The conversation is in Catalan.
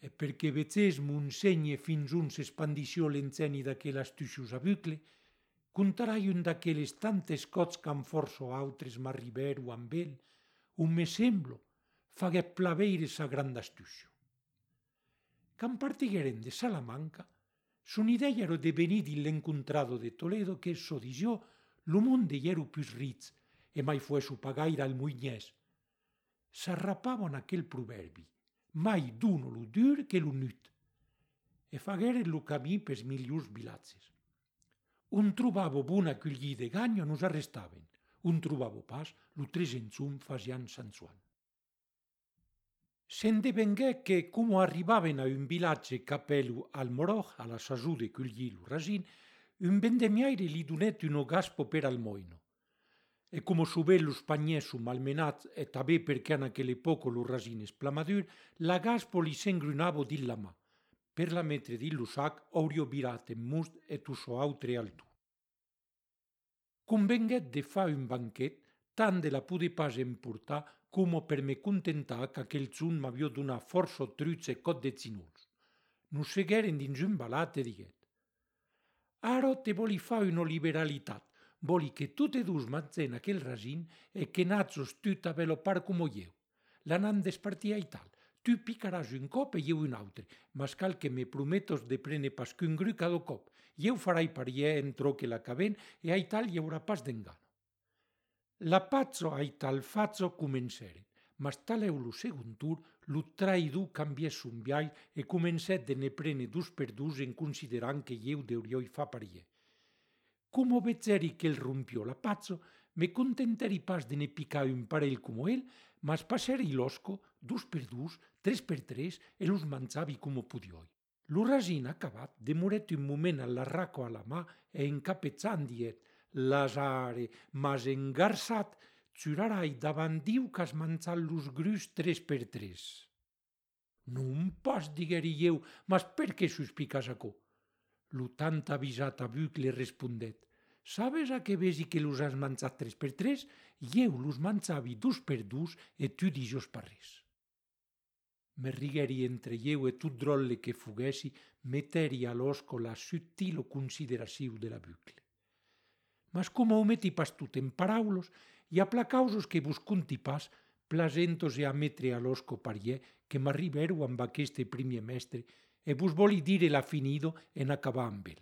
e perché vetzés mon segne fins un s'espandició l'enzeni d'aquel astucius a bucle, contarai un d'aqueles tantes cots qu'an forço autres m'arriberu amb el, un me semblo, faguèt plaveire sa granda astucio. Can partigueren de Salamanca, son idea ero de venir din l'encontrado de Toledo que, so disió, lo monde i ero pus ritz, e mai fuesu pagaire al muignès. S'arrapavon aquel proverbi, mai duno lo dur que lo nut, e fagueren lo camí pes miliurs vilatzes. Un trobavo bona cullí de gagno nos arrestaven, un trobavo pas lo tresenzum fasian San Juan. Se'n devengué que, como arribaven a un vilatge capelu al Moroj, a la sasù de cullí lo rasin, un vendemiaire li donèt un gaspo per al moino. E como subé los pagnès su malmenats e tabé perché en aquel epoco lo rasin esplamadur, la gaspo li s'engrunavo din la mà. Per la metre din lo sac aurio virat en must e tu so autre altu. Convenguèt de fa un banquet, tant de la pude pas emportar como per me contentar qu'aquel zun m'avió donat força truts e cot de zinuls. Nos segueren dins un balat e diguet: «Aro te voli fa una liberalitat, voli que tu te dus matzen aquel rasin e que natzos tu t'avelopar como jeu. L'anant despartir i tal, tu picaràs un cop e jeu un autre, mas cal que me prometos de prene pas qu'un gru cada cop, jeu farai parier entro que l'acabent e ai tal hi haurà pas d'engano. La pazzo ai tal fazzo comenceren, mas taleu lo segon tur, lo traïdor cambiè son viai e comencèt de ne prene dus per dus en considerant que jeu deurioi fa parier. Como vetzeri qu'el rompió la pazzo, me contenteri pas de ne picar un parell como el, mas passeri l'osco, dus per dus, tres per tres, e los manzavi como pudioi. Lo rasin acabat, demorèt un moment a l'arraco a la mà e encapetzant diet: «Lasare, mas engarçat, zurarai davant Diu qu'has manzat los grus tres per tres». «Non pas», digueri jeu, «mas per qué suspicas aquò?» Lo tant avisat a bucle respondèt: «Sabes a que vesi que los has manzat tres per tres? Jeu los manzavi dus per dus e tu dijos pas res». Me rigueri entre jeu e tot drolle que fuguessi, meteri a l'osco la subtilo consideraciu de la bucle. Mas como ho meti pas tot en paraulos, i aplacausos que vos conti pas, plasentos e a metre a l'osco parier que m'arriberu amb aqueste primier mestre e vos voli dire la finido en acabar amb el.